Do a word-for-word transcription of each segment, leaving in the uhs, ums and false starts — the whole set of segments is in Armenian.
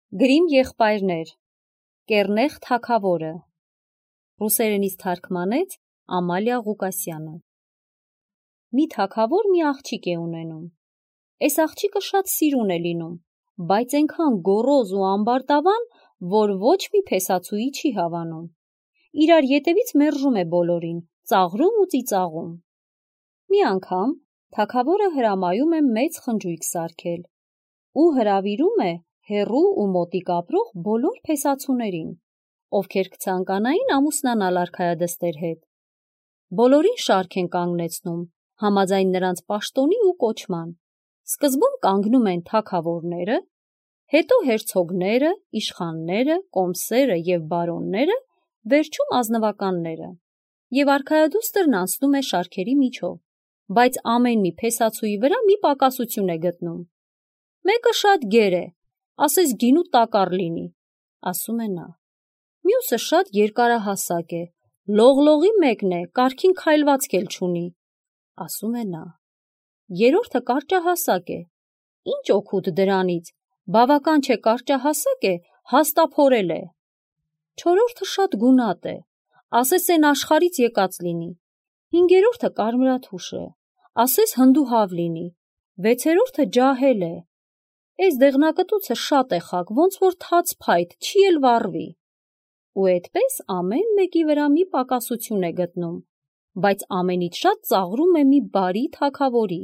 Գրիմ եղբայրներ, Կեռնեխ թագավորը, ռուսերենից թարգմանեց Ամալիա Ղուկասյանը։ Մի թագավոր մի աղջիկ է ունենում։ Այս աղջիկը շատ սիրուն է լինում, բայց այնքան գոռոզ ու ամբարտավան, որ ոչ մի փեսացուի չի հավանում։ Իրար ետևից մերժում է բոլորին, ծաղրում ու ծիծաղում։ Մի անգամ թագավորը հրամայում է մեծ խնջույք սարքել ու հրավիրում է հեռու ու մոտիկ ապրող բոլոր փեսացուներին, ովքեր կցանկանային ամուսնանալ արքայադստեր հետ։ Բոլորին շարք են կանգնեցնում, համաձայն նրանց պաշտոնի ու կոչման։ Սկզբում կանգնում են թագավորները, հետո հերցոգները, իշխանները, կոմսերը և բարոնները, վերջում ազնվականները, և արքայադուստրն անցնում է շարքերի միջով, բայց ամեն մի փեսացուի վրա մի պակասություն է գտնում։ Մեկը շատ գեր է, ասես գինու տակառ լինի, ասում է նա։ Մյուսը շատ երկարահասակ է, լողլողի մեկն է, կարգին քայլվածք էլ չունի, ասում է նա։ Երրորդը կարճահասակ է, ինչ օգուտ դրանից, բավական չէ կարճահասակ է, հաստափորել է։ Չորրորդը շատ գունատ է, ասես են աշխարհից եկած լինի։ Հինգերորդը կարմրաթուշ է, ասես հնդուհավ լինի։ Վեցերորդը ջահել է, էս դեղնակտուցը շատ է խաք, ոնց որ թաց փայտ, չի էլ վառվի։ Ու էդպես ամեն մեկի վրա մի պակասություն է գտնում, բայց ամենից շատ ծաղրում է մի բարի թագավորի,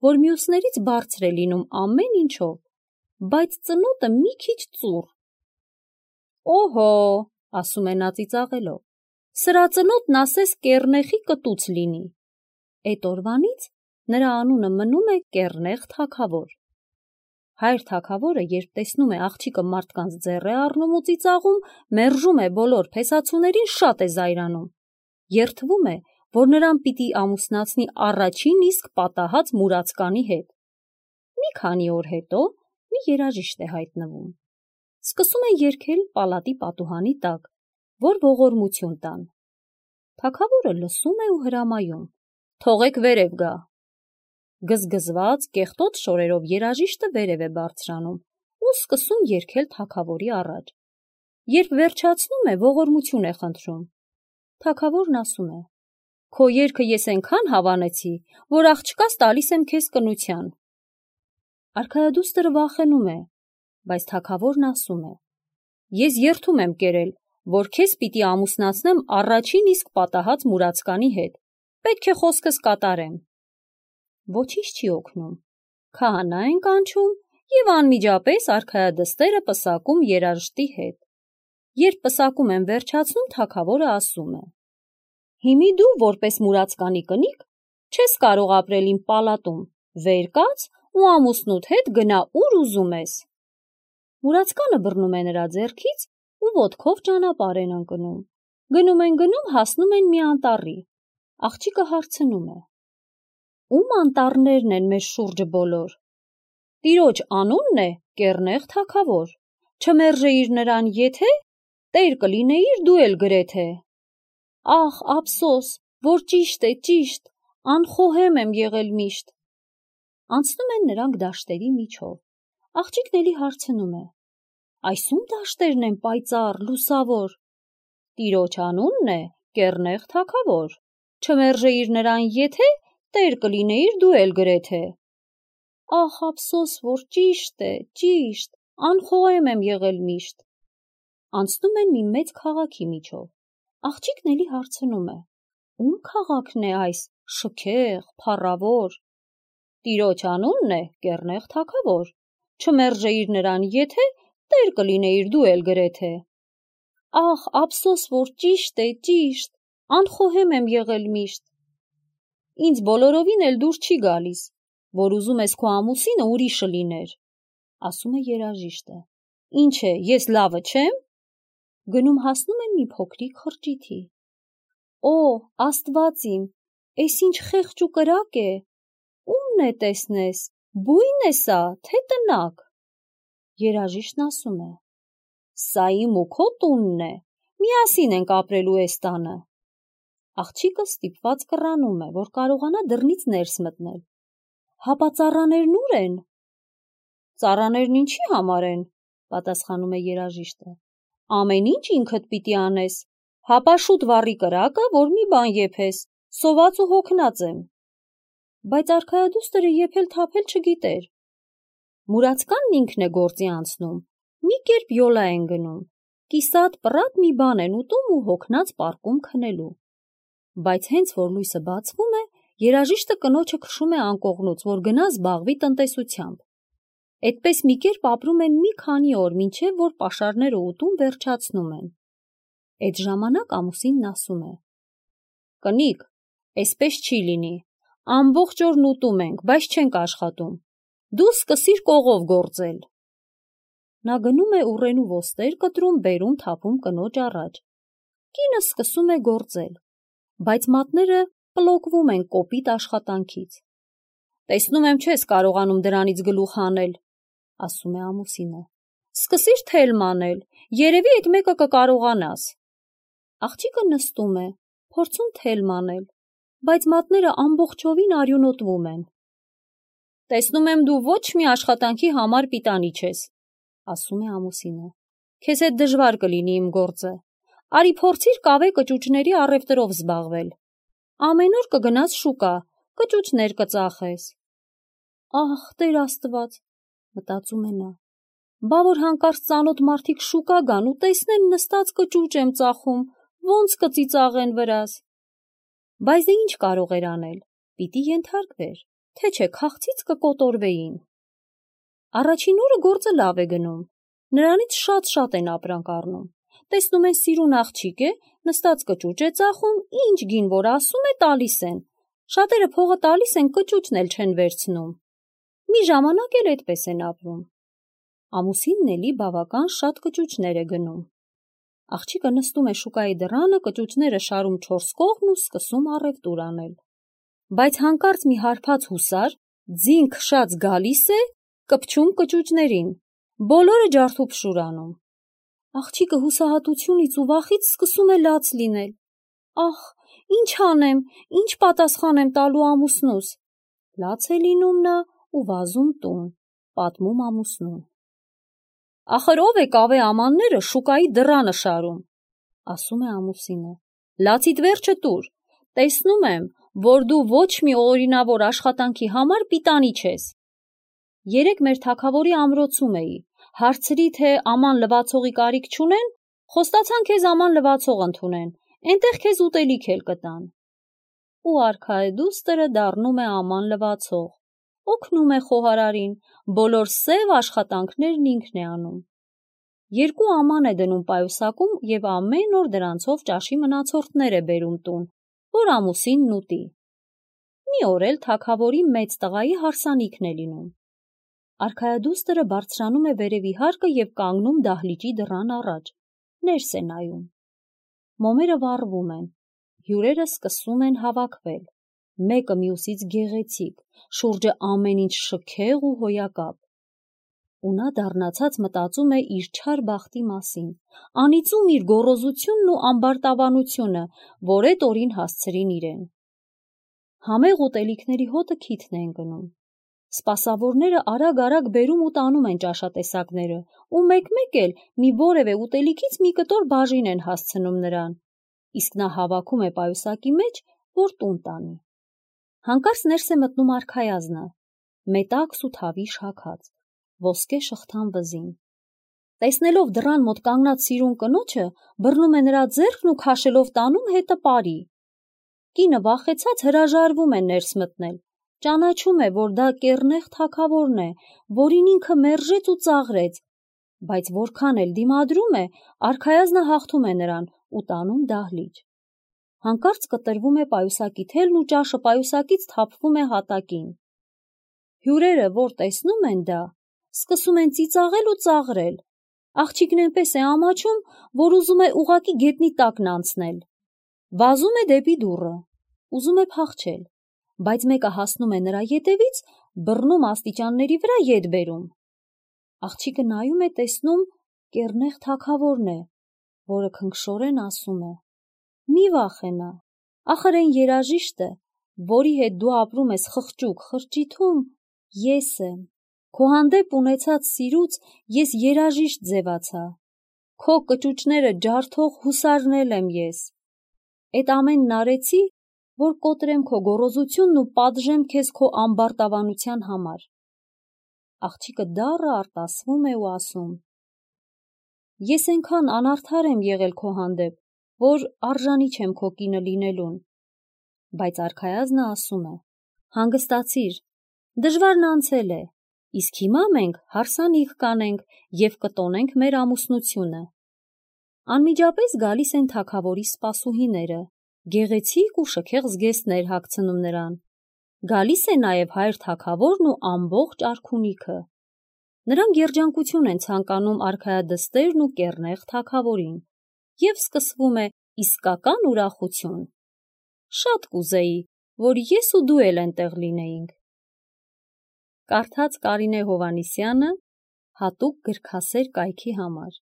որ մյուսներից բարձր է լինում ամեն ինչով, բայց ծնոտը մի քիչ ծուռ։ Օհո, ասում է նա ծիծաղելով, սրա ծնոտն ասես կեռնեխի կտուց լինի։ Էդ օրվանից նրա անունը մնում է Կեռնեխ թագավոր։ Հայր թագավորը, երբ տեսնում է աղջիկը մարդկանց ձեռ է առնում ու ծիծաղում, մերժում է բոլոր փեսացուներին, շատ է զայրանում։ Երդվում է, որ նրան պիտի ամուսնացնի առաջին իսկ պատահած մուրացկանի հետ։ Մի քանի օր հետո մի երաժիշտ է հայտնվում։ Սկսում են երգել պալատի պատուհանի տակ, որ ողորմություն տան։ Թագավորը լսում է ու հրամայում. թողեք վերև գա։ Գզգզված, կեղտոտ շորերով երաժիշտը վերև է բարձրանում ու սկսում երգել թագավորի առաջ։ Երբ վերջացնում է, ողորմություն է խնդրում։ Թագավորն ասում է. քո երգը ես այնքան հավանեցի, որ աղջկաս տալիս եմ քեզ կնության։ Արքայադուստրը վախենում է, բայց թագավորն ասում է. ես երդում եմ կերել, որ քեզ պիտի ամուսնացնեմ առաջին իսկ պատահած մուրացկանի հետ, պետք է խոսքս կատարեմ։ Ոչինչ չի օգնում։ Քահանա են կանչում և անմիջապես արքայադստերը պսակում երաժշտի հետ։ Երբ պսակում են վերջացնում, թագավորը ասում է. հիմի դու, որպես մուրացկանի կնիկ, չես կարող ապրել իմ պալատում, վեր կաց ու ամուսնուդ հետ գնա ուր ուզում ես։ Մուրացկանը բռնում է նրա ձեռքից ու ոտքով ճանապարհ են ընկնում։ Գնում են գնում, հասնում են մի անտառի։ Աղջիկը հարցնում է. ում անտառներն են մեր շուրջը բոլոր։ Տիրոջ անունն է Կեռնեխ թագավոր, չմերժեիր նրան եթե, տեր կլինեիր դու էլ գրեթե։ Ախ, ափսոս, որ ճիշտ է, ճիշտ, անխոհեմ եմ եղել միշտ։ Անցնում են նրանք դաշտերի միջով։ Աղջիկն էլի հարցնում է. այս ում դաշտերն են պայծառ, լուսավոր։ Տիրոջ անունն է Կեռնեխ թագավոր, չմերժեիր նրան եթե, տեր կլինեիր դու էլ գրեթե։ Ախ, ափսոս, որ ճիշտ է, ճիշտ, անխոհեմ եմ եղել միշտ։ Անցնում են մի մեծ քաղաքի միջով։ Աղջիկն էլի հարցնում է. ում քաղաքն է այս, շքեղ, փառավոր։ Տիրոջ անունն է Կեռնեխ թագավոր, չմերժեիր նրան եթե, տեր կլինեիր դու էլ գրեթե։ Ախ, ափսոս, որ ճիշտ է, ճիշտ, անխոհեմ եմ եղել միշտ։ Ինձ բոլորովին էլ դուր չի գալիս, որ ուզում ես քո ամուսինը ուրիշը լիներ, ասում է երաժիշտը։ Ինչ է, ես լավը չեմ։ Գնում հասնում են մի փոքրիկ խրճիթի։ Օ, Աստված իմ, էս ինչ խեղճ ու կրակ է։ Ումն է տեսնես, բույն է սա, թե տնակ։ Երաժիշտն ասում է. սա իմ ու քո տունն է, միասին ենք ապրելու էս տանը։ Աղջիկը ստիպված կռանում է, որ կարողանա դռնից ներս մտնել։ Հապա ծառաներն ուր են։ Ծառաներն ինչի համար են, պատասխանում է երաժիշտը։ Ամեն ինչ ինքդ պիտի անես, հապա շուտ վառի կրակը, որ մի բան եփես, սոված ու հոգնած եմ։ Բայց արքայադուստրը եփել թափել չգիտեր։ Մուրացկանն ինքն է գործի անցնում, մի կերպ յոլա են գնում, կիսատ պռատ մի բան են ուտում ու հոգնած պարկում քնելու։ Բայց հենց որ լույսը բացվում է, երաժիշտը կնոջը քշում է անկողնուց, որ գնա զբաղվի տնտեսությամբ։ Այդպես մի կերպ ապրում են մի քանի օր, մինչև որ պաշարները ուտում վերջացնում են։ Այդ ժամանակ ամուսինն ասում է. Կնիկ, այսպես չի լինի, ամբողջ օրն ուտում ենք, բայց չենք աշխատում, դու սկսիր կողով գործել։ Նա գնում է ուռենու ոստեր կտրում, բերում, թափում կնոջ առաջ։ Կինը սկսում է գործել, բայց մատները պլոկվում են կոպիտ աշխատանքից։ Տեսնում եմ չես կարողանում դրանից գլուխ հանել, ասում է ամուսինը։ Սկսիր թել մանել, երևի այդ մեկը կկարողանաս։ Աղջիկը նստում է, փորձում թել մանել, բայց մատները ամբողջովին արյունոտվում են։ Տեսնում եմ դու ոչ մի աշխատանքի համար պիտանի չես, ասում է ամուսինը։ Քեզ հետ դժվար կլինի իմ գործը։ Արի փորձիր կավե կճուճների առևտրով զբաղվել։ Ամեն օր կգնաս շուկա, կճուճներ կծախես։ Ահ, Տեր Աստված, մտածում է նա։ Բա որ հանկարծ ծանոթ մարդիկ շուկա գան ու տեսնեն նստած կճուճ եմ ծախում, ոնց կծիծաղեն վրաս։ Բայց դե ինչ կարող էր անել, պիտի ենթարկվեր, թե չէ քաղցից կկոտորվեին։ Առաջին օրը գործը լավ է գնում, նրանից շատ-շատ են ապրանք առնում։ Տեսնում են սիրուն աղջիկ է, նստած կճուճ է ծախում, ինչ գին որ ասում է տալիս են։ Շատերը փողը տալիս են, կճուճն էլ չեն վերցնում։ Մի ժամանակ էլ այդպես են ապրում։ Ամուսինն էլի բավական շատ կճուճներ է գնում։ Աղջիկը նստում է շուկայի դռանը, կճուճները շարում չորս կողմ ու սկսում առևտուր անել։ Բայց հանկարծ մի հարբած հուսար, ձին քշած գալիս է, կպչում կճուճներին, բոլորը ջարդուփշուր անում։ Աղջիկը հուսահատությունից ու վախից սկսում է լաց լինել։ Ախ, ինչ անեմ, ինչ պատասխան եմ տալու ամուսնուս։ Լաց է լինում նա ու վազում տուն, պատմում ամուսնուն։ Ախր ով է կավե ամանները շուկայի դռանը շարում, ասում է ամուսինը։ Լացիդ վերջը տուր, տեսնում եմ, որ դու ոչ մի օրինավոր աշխատանքի համար պիտանի չես։ Երեկ մեր թագավորի ամրոցում էի, հարցրի, թե աման լվացողի կարիք չունեն, խոստացան քեզ աման լվացող ընդունեն, այնտեղ քեզ ուտելիք էլ կտան։ Ու արքայադուստրը դառնում է աման լվացող, օգնում է խոհարարին, բոլոր սև աշխատանքներն ինքն է անում։ Երկու աման է դնում պայուսակում և ամեն օր դրանցով ճաշի մնացորդներ է բերում տուն, որ ամուսինն ուտի։ Մի օր էլ թագավորի մեծ տղայի հարսանիքն է լինում։ Արքայադուստրը բարձրանում է վերևի հարկը և կանգնում դահլիճի դռան առաջ, ներս է նայում։ Մոմերը վառվում են, հյուրերը սկսում են հավաքվել, մեկը մյուսից գեղեցիկ, շուրջը ամեն ինչ շքեղ ու հոյակապ։ Ու նա դառնացած մտածում է իր չար բախտի մասին, անիծում իր գոռոզությունն ու ամբարտավանությունը, որ էդ օրին հասցրին իրեն։ Համեղ ուտելիքների հոտը քիթն է ընկնում։ Սպասավորները արագ-արագ բերում ու տանում են ճաշատեսակները, ու մեկ-մեկ էլ մի որևէ ուտելիքից մի կտոր բաժին են հասցնում նրան, իսկ նա հավաքում է պայուսակի մեջ, որ տուն տանի։ Հանկարծ ներս է մտնում արքայազնը, մետաքս ու թավի շաքած, ոսկե շղթան վզին։ Տեսնելով դռան մոտ կանգնած սիրուն կնոջը, բռնում է նրա ձեռքն ու քաշելով տանում հետը պարի։ Կինը վախեցած հրաժարվում է ներս մտնել, ճանաչում է, որ դա կեռնեղ թագավորն է, որին ինքը մերժեց ու ծաղրեց, բայց որքան էլ դիմադրում է, արքայազնը հաղթում է նրան ու տանում դահլիճ։ Հանկարծ կտրվում է պայուսակի թելն ու ճաշը պայուսակից թափվում է հատակին։ Հյուրերը, որ տեսնում են դա, սկսում են ծիծաղել ու ծաղրել։ Աղջիկն այնպես է ամաչում, որ ուզում է ուղղակի գետնի տակն անցնել։ Վազում է դեպի դուռը, ուզում է փախչել, բայց մեկը հասնում է նրա ետևից, բռնում աստիճանների վրա ետ բերում։ Աղջիկը նայում է, տեսնում կեռնեղ թագավորն է, որը քնքշորեն ասում է. Մի վախենա, ախր այն երաժիշտը, որի հետ դու ապրում ես խղճուկ խրճիթում, ես եմ, Քո հանդեպ ունեցած սիրուց ես երաժիշտ ձևացա, քո կճուճները ջարդող հուսարն եմ ես, էդ ամենն արեցի, որ կոտրեմ քո գոռոզությունն ու պատժեմ քեզ քո ամբարտավանության համար։ Աղջիկը դառը արտասվում է ու ասում. Ես այնքան անարդար եմ եղել քո հանդեպ, որ արժանի չեմ քո կինը լինելուն։ Բայց արքայազնը ասում է. հանգստացիր, դժվարն անցել է, իսկ հիմա մենք հարսանիք կանենք և կտոնենք մեր ամուսնությունը։ Անմիջապես գալիս են թագավորի սպասուհիները, գեղեցիկ ու շքեղ զգեստներ հագցնում նրան։ Գալիս է նաև հայր թագավորն ու ամբողջ արքունիքը։ Նրանք երջանկություն են ցանկանում արքայադստերն ու կեռնեղ թագավորին, և սկսվում է իսկական ուրախություն։ Շատ կուզեի, որ ես ու դու էլ էնտեղ լինեինք։ Կարդաց Կարինե Հովհաննիսյանը հատուկ գրքասեր կայքի համար։